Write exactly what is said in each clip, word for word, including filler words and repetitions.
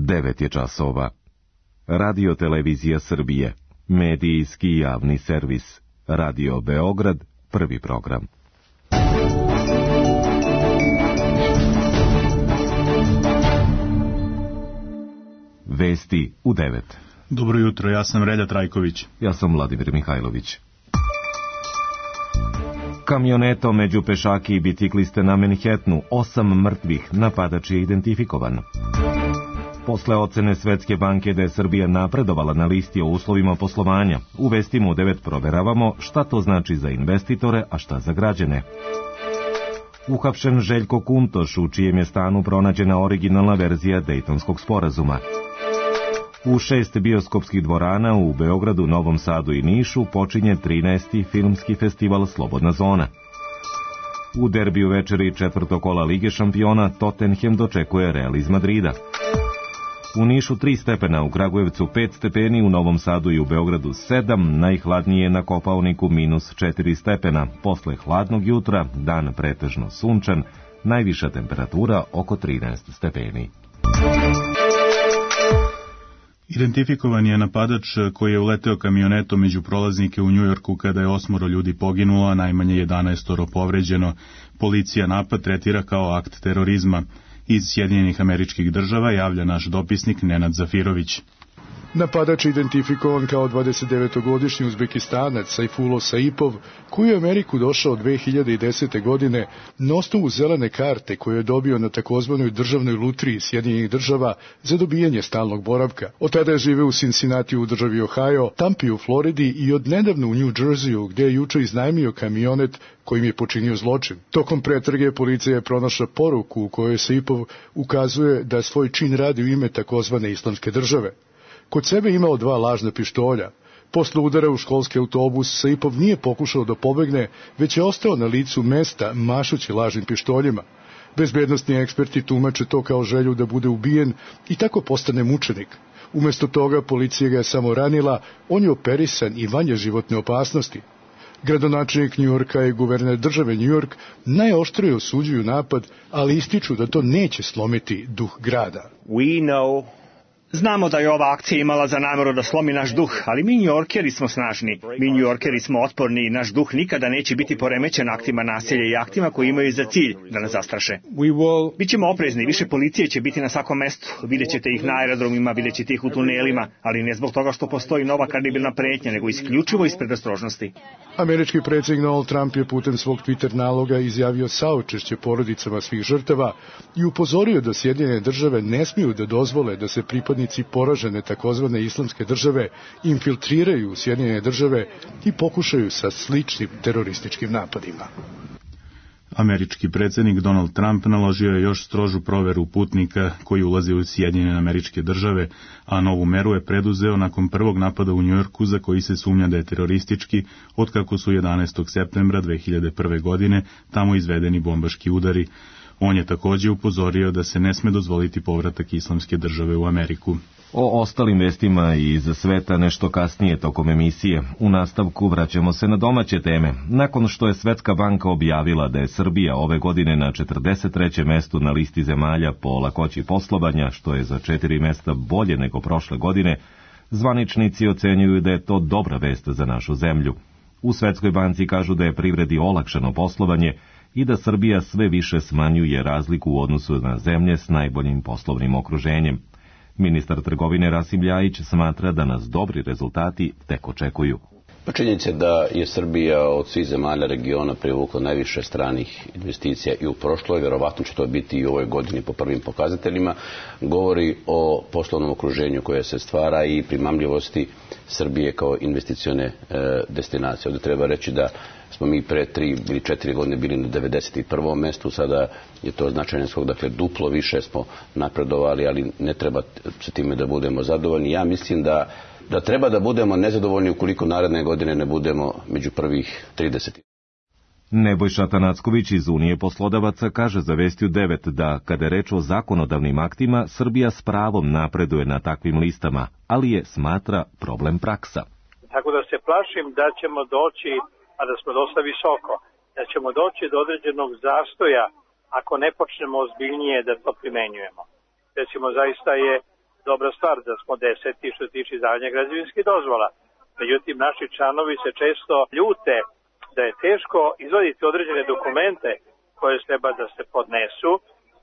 devet je časova. Radio Televizija Srbije, medijski javni servis. Radio Beograd, prvi program. Vesti u devet. Dobro jutro, ja sam Relja Trajković. Ja sam Vladimir Mihajlović. Kamionetom među pešaki i bicikliste na Manhattanu, osam mrtvih, napadač je identifikovan. Posle ocene Svetske banke da je Srbija napredovala na listi o uslovima poslovanja, u Vestima u devet proveravamo šta to znači za investitore, a šta za građane. Uhapšen Željko Kuntoš, u čijem je stanu pronađena originalna verzija Dejtonskog sporazuma. U šest bioskopskih dvorana u Beogradu, Novom Sadu i Nišu počinje trinaesti filmski festival Slobodna zona. U derbiju večeri četvrtog kola Lige šampiona Tottenham dočekuje Real iz Madrida. U Nišu tri stepena, u Kragujevcu pet stepeni, u Novom Sadu i u Beogradu sedam, najhladnije na Kopaoniku minus četiri stepena. Posle hladnog jutra, dan pretežno sunčan, najviša temperatura oko trinaest stepeni. Identifikovan je napadač koji je uleteo kamionetom među prolaznike u Njujorku kada je osmoro ljudi poginulo, a najmanje jedanaestoro povređeno. Policija napad tretira kao akt terorizma. Iz Sjedinjenih Američkih Država javlja naš dopisnik Nenad Zafirović. Napadač je identifikovan kao dvadesetdevetogodišnji Uzbekistanac Sajfullo Saipov, koji je u Ameriku došao dve hiljade desete. godine na osnovu zelene karte koju je dobio na takozvanoj državnoj lutriji Sjedinjenih Država za dobijanje stalnog boravka. Od tada je živeo u Cincinnati u državi Ohio, Tampi u Floridi i odnedavno u New Jerseyu, gde je juče iznajmio kamionet kojim je počinio zločin. Tokom pretrage policija je pronašla poruku u kojoj Saipov ukazuje da svoj čin radi u ime takozvane Islamske države. Kod sebe imao dva lažna pištolja. Posle udara u školski autobus, Saipov nije pokušao da pobegne, već je ostao na licu mesta mašući lažnim pištoljima. Bezbednosni eksperti tumače to kao želju da bude ubijen i tako postane mučenik. Umesto toga policija ga je samo ranila, on je operisan i vanje životne opasnosti. Gradonačelnik Njujorka i guverner države Njujork najoštrije osuđuju napad, ali ističu da to neće slomiti duh grada. We know Znamo da je ova akcija imala za nameru da slomi naš duh, ali mi Njujorkeri smo snažni, mi Njujorkeri smo otporni i naš duh nikada neće biti poremećen aktima nasilja i aktima koji imaju za cilj da nas zastraše. Bićemo oprezni, više policije će biti na svakom mestu, vidjet ćete ih na aerodromima, vidjet ćete ih u tunelima, ali ne zbog toga što postoji nova kredibilna pretnja, nego isključivo iz predostrožnosti. Američki predsjednik Donald Trump je putem svog Twitter naloga izjavio saučešće porodicama svih žrtava i upozorio da Sjedinjene Države ne smiju da dozvole da se pripadnici poražene takozvane Islamske države infiltriraju u Sjedinjene Države i pokušaju sa sličnim terorističkim napadima. Američki predsjednik Donald Trump naložio je još strožu proveru putnika koji ulaze u Sjedinjene Američke Države, a novu meru je preduzeo nakon prvog napada u Njujorku za koji se sumnja da je teroristički, otkako su jedanaestog septembra dve hiljade prve. godine tamo izvedeni bombaški udari. On je također upozorio da se ne sme dozvoliti povratak Islamske države u Ameriku. O ostalim vestima iz sveta nešto kasnije tokom emisije. U nastavku vraćamo se na domaće teme. Nakon što je Svetska banka objavila da je Srbija ove godine na četrdeset trećem mestu na listi zemalja po lakoći poslovanja, što je za četiri mesta bolje nego prošle godine, zvaničnici ocenjuju da je to dobra vest za našu zemlju. U Svetskoj banci kažu da je privredi olakšano poslovanje i da Srbija sve više smanjuje razliku u odnosu na zemlje s najboljim poslovnim okruženjem. Ministar trgovine Rasim Ljajić smatra da nas dobri rezultati tek očekuju. Činjenica je da je Srbija od svih zemalja regiona privukla najviše stranih investicija i u prošloj, verovatno će to biti i u ovoj godini po prvim pokazateljima, govori o poslovnom okruženju koje se stvara i primamljivosti Srbije kao investicione e, destinacije. Ovdje treba reći da smo mi pre tri ili četiri godine bili na devedeset prvom mestu, sada je to značajan skok, dakle duplo više smo napredovali, ali ne treba sa time da budemo zadovoljni. Ja mislim da da treba da budemo nezadovoljni ukoliko naredne godine ne budemo među prvih trideset. Nebojša Tanacković iz Unije poslodavaca kaže za Vestiju devet da, kada je reč o zakonodavnim aktima, Srbija s pravom napreduje na takvim listama, ali je, smatra, problem praksa. Tako da se plašim da ćemo doći, a da smo dosta visoko, da ćemo doći do određenog zastoja ako ne počnemo ozbiljnije da to primenjujemo. Recimo, zaista je dobra stvar da smo deseti što se tiče izdavanja građevinskih dozvola. Međutim, naši članovi se često ljute da je teško izvaditi određene dokumente koje treba da se podnesu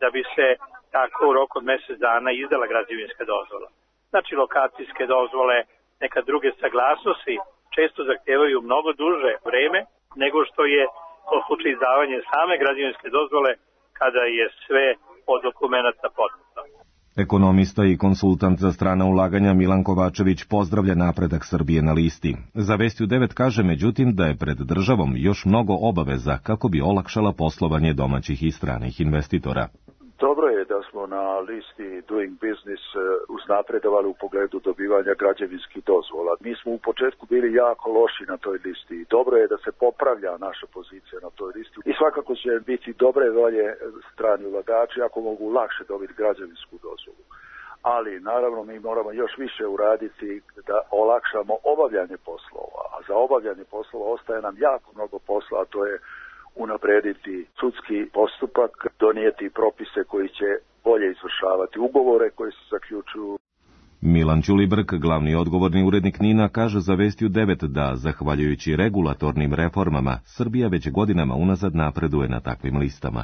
da bi se tako u roku od mjesec dana izdala građevinska dozvola. Znači, lokacijske dozvole, neka druge saglasnosti često zahtevaju mnogo duže vreme nego što je to slučaj izdavanje same građevinske dozvole kada je sve od dokumenta podneto. Ekonomista i konsultant za strana ulaganja Milan Kovačević pozdravlja napredak Srbije na listi. Za Vestiju devet kaže međutim da je pred državom još mnogo obaveza kako bi olakšala poslovanje domaćih i stranih investitora. Dobro je da smo na listi Doing Business uznapredovali u pogledu dobivanja građevinskih dozvola. Mi smo u početku bili jako loši na toj listi i dobro je da se popravlja naša pozicija na toj listi. I svakako će biti dobre volje strani ulagači ako mogu lakše dobiti građevinsku dozvolu. Ali naravno mi moramo još više uraditi da olakšamo obavljanje poslova. A za obavljanje poslova ostaje nam jako mnogo posla, a to je unaprediti sudski postupak, donijeti propise koji će bolje izvršavati ugovore koji se zaključuju. Milan Ćulibrk, glavni odgovorni urednik NIN-a, kaže za Vestiju devet da, zahvaljujući regulatornim reformama, Srbija već godinama unazad napreduje na takvim listama.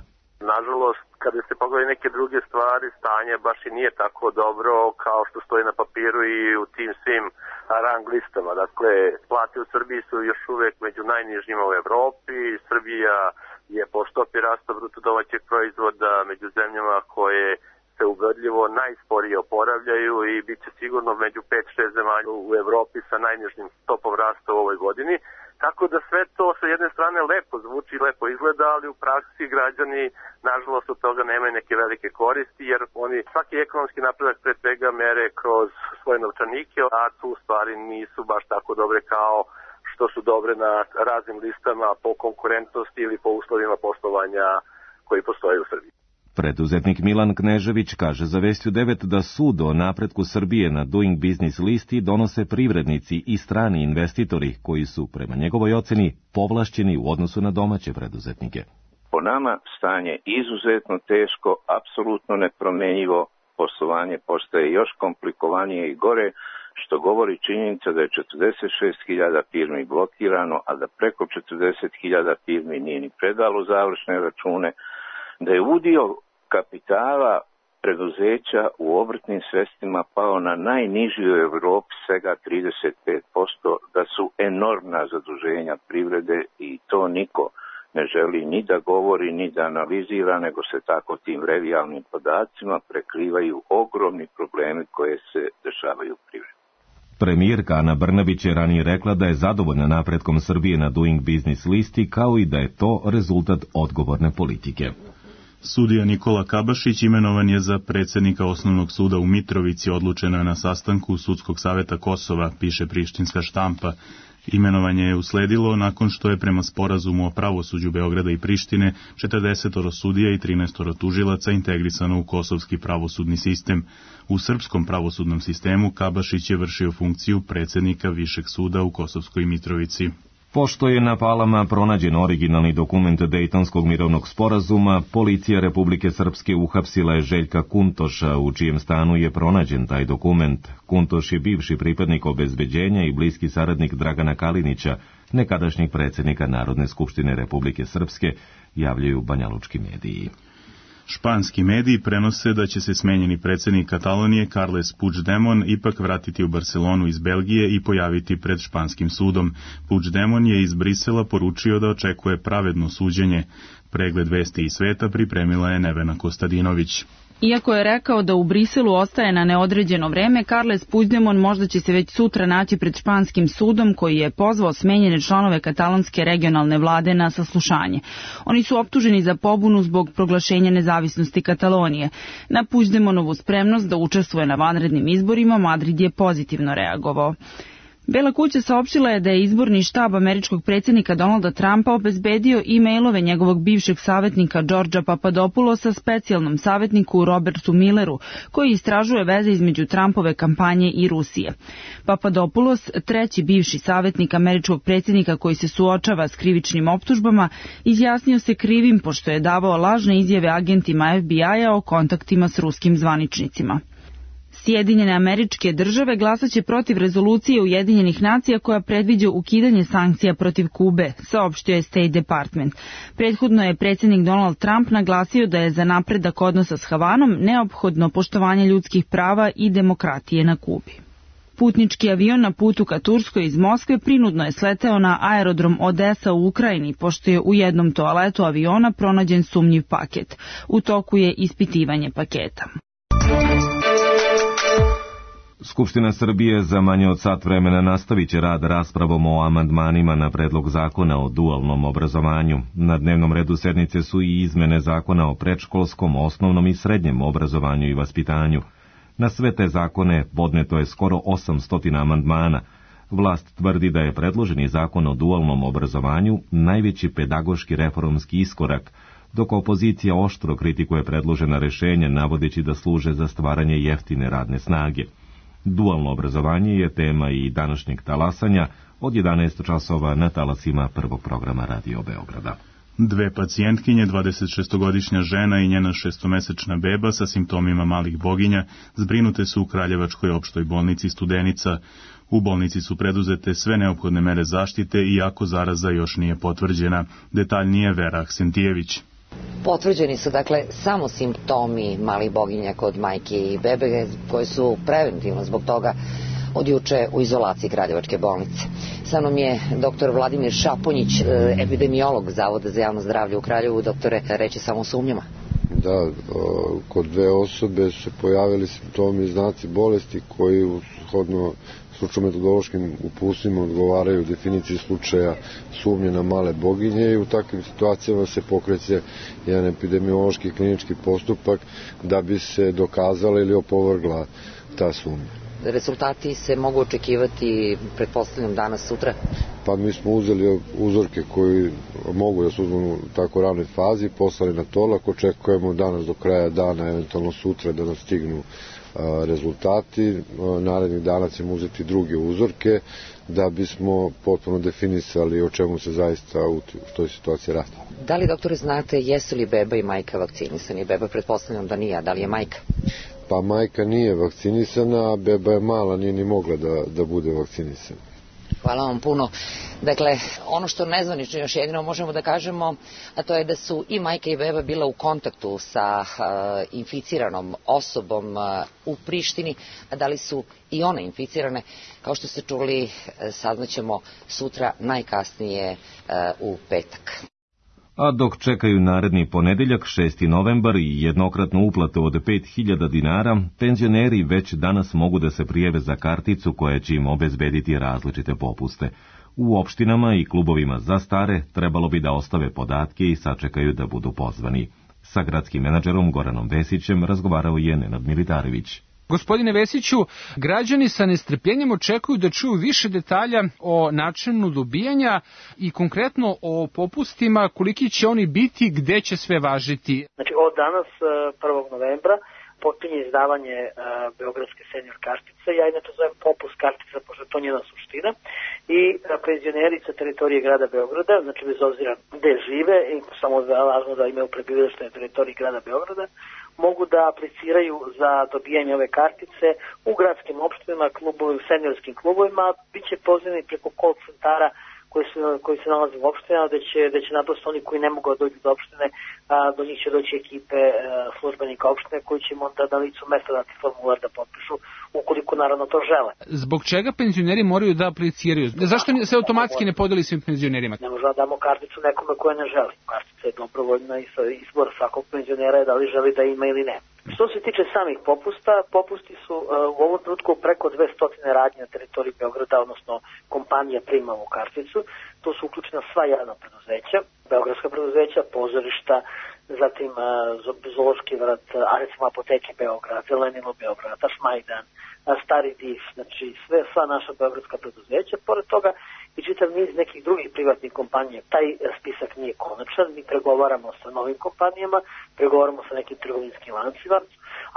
Nažalost, kada se pogledaju neke druge stvari, stanje baš i nije tako dobro kao što stoji na papiru i u tim svim rang listama. Dakle, plate u Srbiji su još uvek među najnižima u Evropi. Srbija je po stopi rasta bruto domaćeg proizvoda među zemljama koje se ubedljivo najsporije oporavljaju i bit će sigurno među pet šest zemalja u Evropi sa najnižim stopom rasta u ovoj godini. Tako da sve to sa jedne strane lepo zvuči, lepo izgleda, ali u praksi građani nažalost od toga nemaju neke velike koristi, jer oni svaki ekonomski napredak pre svega mere kroz svoje novčanike, a tu stvari nisu baš tako dobre kao što su dobre na raznim listama po konkurentnosti ili po uslovima poslovanja koji postoje u Srbiji. Preduzetnik Milan Knežević kaže za Vestiju devet da sud o napretku Srbije na Doing Business listi donose privrednici i strani investitori koji su, prema njegovoj oceni, povlašćeni u odnosu na domaće preduzetnike. Po nama stanje izuzetno teško, apsolutno nepromenjivo, poslovanje postaje još komplikovanije i gore, što govori činjenica da je četrdeset šest hiljada firmi blokirano, a da preko četrdeset hiljada firmi nije ni predalo završne račune, da je udio kapitala preduzeća u obrtnim sredstvima pao na najniži u Evropi, svega trideset pet posto, da su enormna zaduženja privrede i to niko ne želi ni da govori, ni da analizira, nego se tako tim revijalnim podacima prekrivaju ogromni problemi koje se dešavaju u privredi. Premijerka Ana Brnabić je ranije rekla da je zadovoljna napretkom Srbije na Doing Business listi, kao i da je to rezultat odgovorne politike. Sudija Nikola Kabašić imenovan je za predsjednika Osnovnog suda u Mitrovici, odlučeno je na sastanku Sudskog saveta Kosova, piše prištinska štampa. Imenovanje je usledilo nakon što je prema sporazumu o pravosuđu Beograda i Prištine četrdeset sudija i trinaest tužilaca integrisano u kosovski pravosudni sistem. U srpskom pravosudnom sistemu Kabašić je vršio funkciju predsjednika Višeg suda u Kosovskoj Mitrovici. Pošto je na Palama pronađen originalni dokument Dejtonskog mirovnog sporazuma, policija Republike Srpske uhapsila je Željka Kuntoša, u čijem stanu je pronađen taj dokument. Kuntoš je bivši pripadnik obezbeđenja i bliski saradnik Dragana Kalinića, nekadašnjeg predsjednika Narodne skupštine Republike Srpske, javljaju banjalučki mediji. Španski mediji prenose da će se smenjeni predsjednik Katalonije Carles Puigdemont ipak vratiti u Barcelonu iz Belgije i pojaviti pred španskim sudom. Puigdemont je iz Brisela poručio da očekuje pravedno suđenje. Pregled vesti i sveta pripremila je Nevena Kostadinović. Iako je rekao da u Briselu ostaje na neodređeno vreme, Carles Puigdemont možda će se već sutra naći pred španskim sudom koji je pozvao smenjene članove katalonske regionalne vlade na saslušanje. Oni su optuženi za pobunu zbog proglašenja nezavisnosti Katalonije. Na Puigdemontovu spremnost da učestvuje na vanrednim izborima Madrid je pozitivno reagovao. Bela kuća saopštila je da je izborni štab američkog predsjednika Donalda Trumpa obezbedio e-mailove njegovog bivšeg savjetnika Đorđa Papadopoulosa specijalnom savjetniku Robertu Milleru, koji istražuje veze između Trumpove kampanje i Rusije. Papadopoulos, treći bivši savjetnik američkog predsjednika koji se suočava s krivičnim optužbama, izjasnio se krivim pošto je davao lažne izjave agentima F B I-a o kontaktima s ruskim zvaničnicima. Sjedinjene Američke Države glasaće protiv rezolucije Ujedinjenih nacija koja predviđa ukidanje sankcija protiv Kube, saopštio je State Department. Prethodno je predsjednik Donald Trump naglasio da je za napredak odnosa s Havanom neophodno poštovanje ljudskih prava i demokratije na Kubi. Putnički avion na putu ka Turskoj iz Moskve prinudno je sleteo na aerodrom Odesa u Ukrajini, pošto je u jednom toaletu aviona pronađen sumnjiv paket. U toku je ispitivanje paketa. Skupština Srbije za manje od sat vremena nastavit će rad raspravom o amandmanima na predlog zakona o dualnom obrazovanju. Na dnevnom redu sednice su i izmene zakona o predškolskom, osnovnom i srednjem obrazovanju i vaspitanju. Na sve te zakone podneto je skoro osamsto amandmana. Vlast tvrdi da je predloženi zakon o dualnom obrazovanju najveći pedagoški reformski iskorak, dok opozicija oštro kritikuje predložena rešenja navodeći da služe za stvaranje jeftine radne snage. Dualno obrazovanje je tema i današnjeg talasanja od jedanaest časova na talasima prvog programa Radio Beograda. Dve pacijentkinje, dvadesetšestogodišnja žena i njena šestomesečna beba sa simptomima malih boginja zbrinute su u Kraljevačkoj opštoj bolnici Studenica. U bolnici su preduzete sve neophodne mere zaštite, iako zaraza još nije potvrđena. Detaljnije Vera Aksentijević. Potvrđeni su dakle samo simptomi malih boginja kod majke i bebe koji su preventivno zbog toga od juče u izolaciji Kraljevačke bolnice. Sa mnom je doktor Vladimir Šaponjić, epidemiolog Zavoda za javno zdravlje u Kraljevu. Doktore, reći samo o sumnjama. Da, kod dve osobe su se pojavili simptomi i znaci bolesti koji shodno stručno-metodološkim uputstvima odgovaraju definiciji slučaja sumnje na male boginje i u takvim situacijama se pokreće jedan epidemiološki klinički postupak da bi se dokazala ili opovrgla ta sumnja. Rezultati se mogu očekivati, pretpostavljam, danas, sutra? Pa mi smo uzeli uzorke koji mogu da se uzmu u tako ranoj fazi, poslali na tolak, očekujemo danas do kraja dana, eventualno sutra da nas stignu rezultati. Narednih dana ćemo uzeti druge uzorke da bismo potpuno definisali o čemu se zaista u toj situaciji radi. Da li, doktore, znate jesu li beba i majka vakcinisani? Beba pretpostavljam da nije, a da li je majka? Pa majka nije vakcinisana, a beba je mala, nije ni mogla da, da bude vakcinisana. Hvala vam puno. Dakle, ono što nezvanično još jedino možemo da kažemo, a to je da su i majka i beba bila u kontaktu sa uh, inficiranom osobom uh, u Prištini, a da li su i one inficirane, kao što ste čuli, saznaćemo sutra, najkasnije uh, u petak. A dok čekaju naredni ponedeljak, šesti novembar i jednokratnu uplatu od pet hiljada dinara, penzioneri već danas mogu da se prijave za karticu koja će im obezbediti različite popuste. U opštinama i klubovima za stare trebalo bi da ostave podatke i sačekaju da budu pozvani. Sa gradskim menadžerom Goranom Vesićem razgovarao je Nenad Militarević. Gospodine Vesiću, građani sa nestrpljenjem očekuju da čuju više detalja o načinu dobijanja i konkretno o popustima, koliki će oni biti, gde će sve važiti. Znači, od danas, prvog novembra, počinje izdavanje uh, Beogradske senior kartice. Ja inače zovem popust kartica, pošto je to njena suština. I uh, penzioneri sa teritorije grada Beograda, znači bez obzira gde žive, i samo da važno da imaju prebivalište na teritoriji grada Beograda, mogu da apliciraju za dobijanje ove kartice u gradskim opštinama, klubovima, seniorskim klubovima. Biće pozivani preko call centara koji se, koji se nalaze u opštinama, da će, da će naprosto oni koji ne mogu da dođu do opštine, a, do njih će doći ekipe a, službenika opštine koji će im onda na licu mesta dati formular da potpišu, ukoliko naravno to žele. Zbog čega penzioneri moraju da apliciraju? Zašto se automatski ne podeli svim penzionerima? Ne možemo da damo karticu nekome koje ne želi. Kartica je dobrovoljna i izbor svakog penzionera je da li želi da ima ili ne. Što se tiče samih popusta, popusti su uh, u ovom trenutku preko dvesta radnje na teritoriji Beograda, odnosno kompanija prima ovu karticu. Tu su uključena sva javna preduzeća, beogradska preduzeća, pozorišta, zatim uh, Zoološki vrt, a recimo Apoteke Beograd, Zelenilo Beograd, Tašmajdan, Stari Div, znači sve, sva naša beogradska preduzeća. Pored toga i čitav niz nekih drugih privatnih kompanija. Taj spisak nije konačan, mi pregovaramo sa novim kompanijama, pregovaramo sa nekim trgovinskim lancima,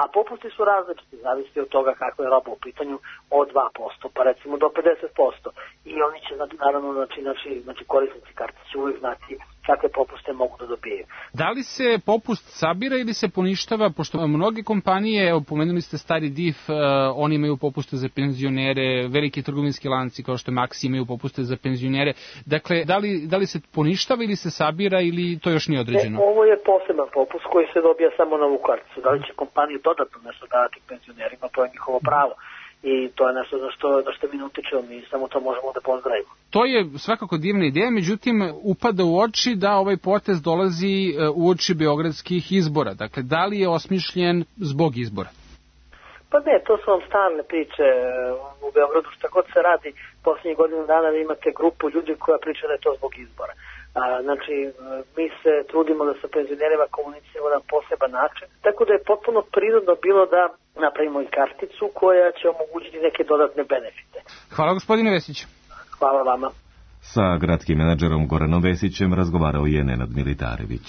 a popusti su različiti, zavisi od toga kakva je roba u pitanju, od dva posto pa recimo do pedeset posto. I oni će naravno, znači, znači, znači korisnici kartice će uvijek znati takve popuste mogu da dobijaju. Da li se popust sabira ili se poništava, pošto mnoge kompanije, evo, pomenuli ste stari D I F, uh, oni imaju popuste za penzionere, veliki trgovinski lanci kao što je Maxi imaju popuste za penzionere. Dakle, da li, da li se poništava ili se sabira ili to još nije određeno? Ne, ovo je poseban popust koji se dobija samo na ovu karticu. Da li će kompanije dodatno nešto davati penzionerima, to je njihovo pravo. I to je nešto za što, za što mi ne utičemo, mi samo to možemo da pozdravimo. To je svakako divna ideja, međutim upada u oči da ovaj potez dolazi u oči beogradskih izbora. Dakle, da li je osmišljen zbog izbora? Pa ne, to su vam stalne priče u Beogradu, šta god se radi, posljednjih godina dana vi imate grupu ljudi koja priča da je to zbog izbora. A, znači, mi se trudimo da sa penzionerima komuniciramo na poseban način, tako da je potpuno prirodno bilo da napravimo i karticu koja će omogućiti neke dodatne benefite. Hvala gospodine Vesić. Hvala vama. Sa gradskim menadžerom Goranom Vesićem razgovarao je Nenad Militarević.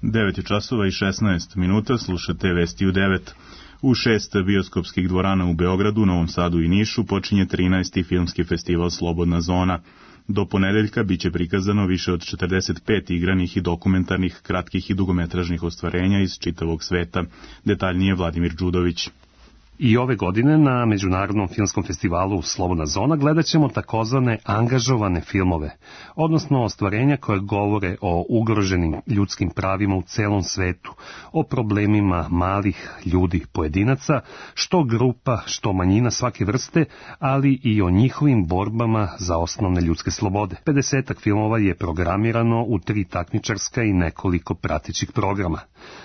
devet je časova i šesnaest minuta, slušate Vesti u devet. U šest bioskopskih dvorana u Beogradu, Novom Sadu i Nišu počinje trinaesti filmski festival Slobodna zona. Do ponedeljka biće prikazano više od četrdeset pet igranih i dokumentarnih, kratkih i dugometražnih ostvarenja iz čitavog sveta. Detaljnije Vladimir Đudović. I ove godine na Međunarodnom filmskom festivalu Slobodna zona gledat ćemo takozvane angažovane filmove, odnosno ostvarenja koje govore o ugroženim ljudskim pravima u celom svetu, o problemima malih ljudi pojedinaca, što grupa, što manjina svake vrste, ali i o njihovim borbama za osnovne ljudske slobode. pedesetak filmova je programirano u tri takmičarska i nekoliko pratećih programa.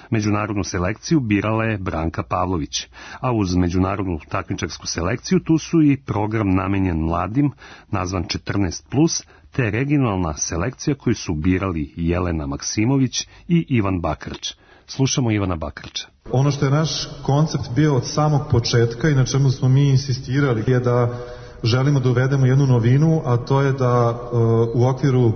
Međunarodnu selekciju birala je Branka Pavlović, a uz međunarodnu takmičarsku selekciju tu su i program namenjen mladim, nazvan četrnaest plus, te regionalna selekcija koju su birali Jelena Maksimović i Ivan Bakarč. Slušamo Ivana Bakarča. Ono što je naš koncept bio od samog početka i na čemu smo mi insistirali je da želimo da uvedemo jednu novinu, a to je da uh, u okviru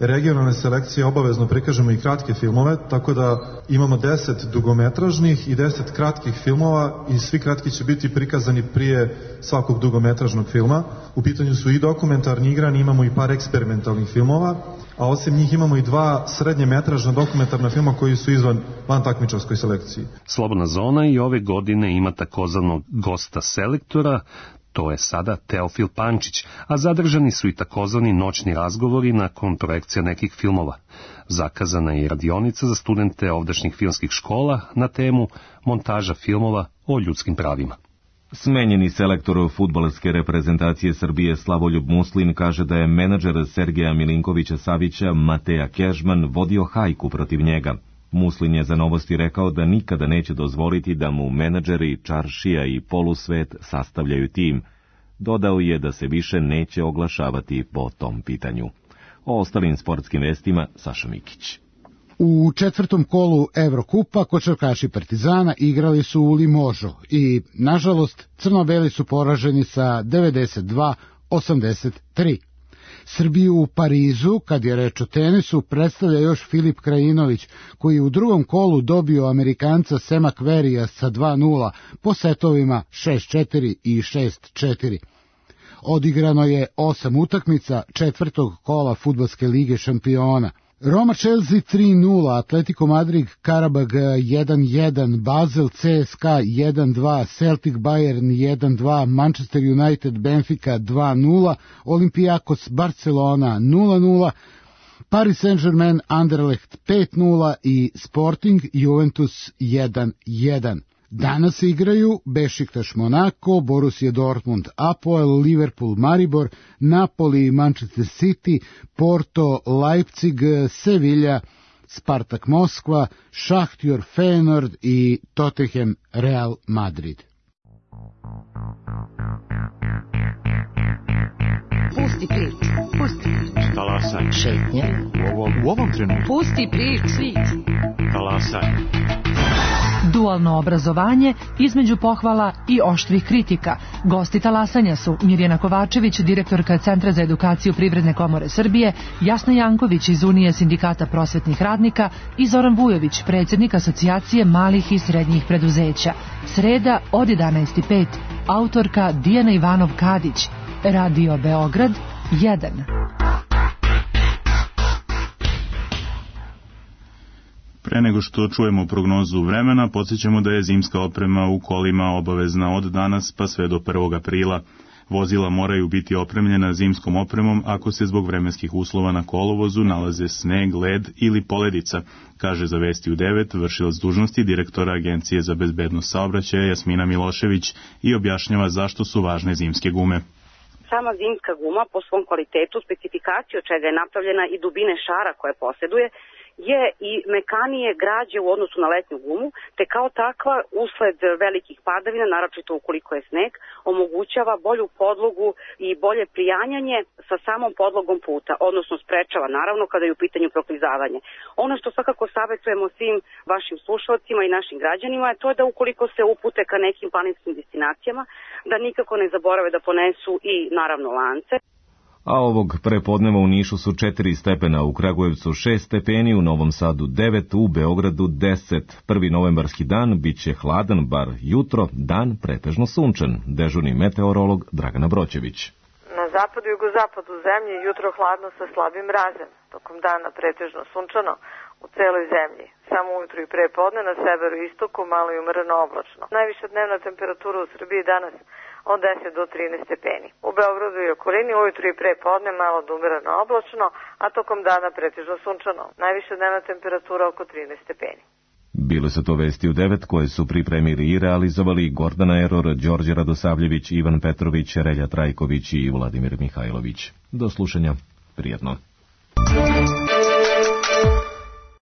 regionalne selekcije obavezno prikažemo i kratke filmove, tako da imamo deset dugometražnih i deset kratkih filmova i svi kratki će biti prikazani prije svakog dugometražnog filma. U pitanju su i dokumentarni igrani, imamo i par eksperimentalnih filmova, a osim njih imamo i dva srednje metražna dokumentarna filma koji su izvan van takmičarskoj selekciji. Slobodna zona i ove godine ima takozvanog gosta selektora, to je sada Teofil Pančić, a zadržani su i takozvani noćni razgovori nakon projekcija nekih filmova. Zakazana je i radionica za studente ovdašnjih filmskih škola na temu montaža filmova o ljudskim pravima. Smenjeni selektor fudbalske reprezentacije Srbije Slavoljub Muslin kaže da je menadžer Sergeja Milinkovića Savića Mateja Kežman vodio hajku protiv njega. Muslin je za Novosti rekao da nikada neće dozvoliti da mu menadžeri, čaršija i polusvet sastavljaju tim. Dodao je da se više neće oglašavati po tom pitanju. O ostalim sportskim vestima Saša Mikić. U četvrtom kolu Evrokupa košarkaši Partizana igrali su u Limožu i, nažalost, crno-beli su poraženi sa devedeset dva osamdeset tri. Srbiju u Parizu, kad je reč o tenisu, predstavlja još Filip Krajinović, koji je u drugom kolu dobio Amerikanca Sema Querrya sa dva nula po setovima šest četiri i šest četiri. Odigrano je osam utakmica četvrtog kola Fudbalske lige šampiona. Roma Chelsea tri nula, Atletico Madrid Karabag jedan jedan, Basel C S K A jedan dva, Celtic Bayern jedan dva, Manchester United Benfica dva nula, Olympiakos Barcelona nula nula, Paris Saint-Germain Anderlecht pet nula i Sporting Juventus jedan jedan. Danas igraju Bešiktaš Monako, Borussia Dortmund Apoel, Liverpool Maribor, Napoli Manchester City, Porto Leipzig, Sevilla, Spartak Moskva, Šahtjor Feyenoord i Tottenham Real Madrid. Pusti priču, pusti priču. Talasaj. Šetnje. U ovom, u ovom trenutku. Pusti priču. Talasaj. Dualno obrazovanje između pohvala i oštrih kritika. Gosti talasanja su Mirjana Kovačević, direktorka Centra za edukaciju Privredne komore Srbije, Jasna Janković iz Unije sindikata prosvetnih radnika i Zoran Vujović, predsjednik Asocijacije malih i srednjih preduzeća. Sreda od jedanaest i pet, autorka Dijana Ivanov-Kadić. Radio Beograd jedan. Pre nego što čujemo prognozu vremena, podsjećamo da je zimska oprema u kolima obavezna od danas pa sve do prvog aprila. Vozila moraju biti opremljena zimskom opremom ako se zbog vremenskih uslova na kolovozu nalaze sneg, led ili poledica, kaže za Vesti u devet vršilac dužnosti direktora Agencije za bezbednost saobraćaja Jasmina Milošević i objašnjava zašto su važne zimske gume. Sama zimska guma po svom kvalitetu, specifikaciju od čega je napravljena i dubine šara koje posjeduje, je i mekanije građe u odnosu na letnju gumu, te kao takva, usled velikih padavina, naročito ukoliko je sneg, omogućava bolju podlogu i bolje prijanjanje sa samom podlogom puta, odnosno sprečava, naravno, kada je u pitanju proklizavanje. Ono što svakako savjetujemo svim vašim slušalcima i našim građanima je to da ukoliko se upute ka nekim planinskim destinacijama, da nikako ne zaborave da ponesu i, naravno, lance. A ovog prepodneva u Nišu su četiri stepena, u Kragujevcu šest stepeni, u Novom Sadu devet, u Beogradu deset. Prvi novembarski dan biće hladan, bar jutro, dan pretežno sunčan. Dežurni meteorolog Dragana Broćević. Na zapadu i jugozapadu zemlje jutro hladno sa slabim mrazem, tokom dana pretežno sunčano u celoj zemlji. Samo ujutru i pre podne na severu i istoku malo i umereno oblačno. Najviša dnevna temperatura u Srbiji danas od deset do trinaest stepeni. U Beogradu i okolini ujutru i pre podne malo do umereno oblačno, a tokom dana pretežno sunčano. Najviša dnevna temperatura oko trinaest stepeni. Bile su to Vesti u devet koje su pripremili i realizovali Gordana Eror, Đorđe Radosavljević, Ivan Petrović, Relja Trajković i Vladimir Mihajlović. Do slušanja. Prijetno.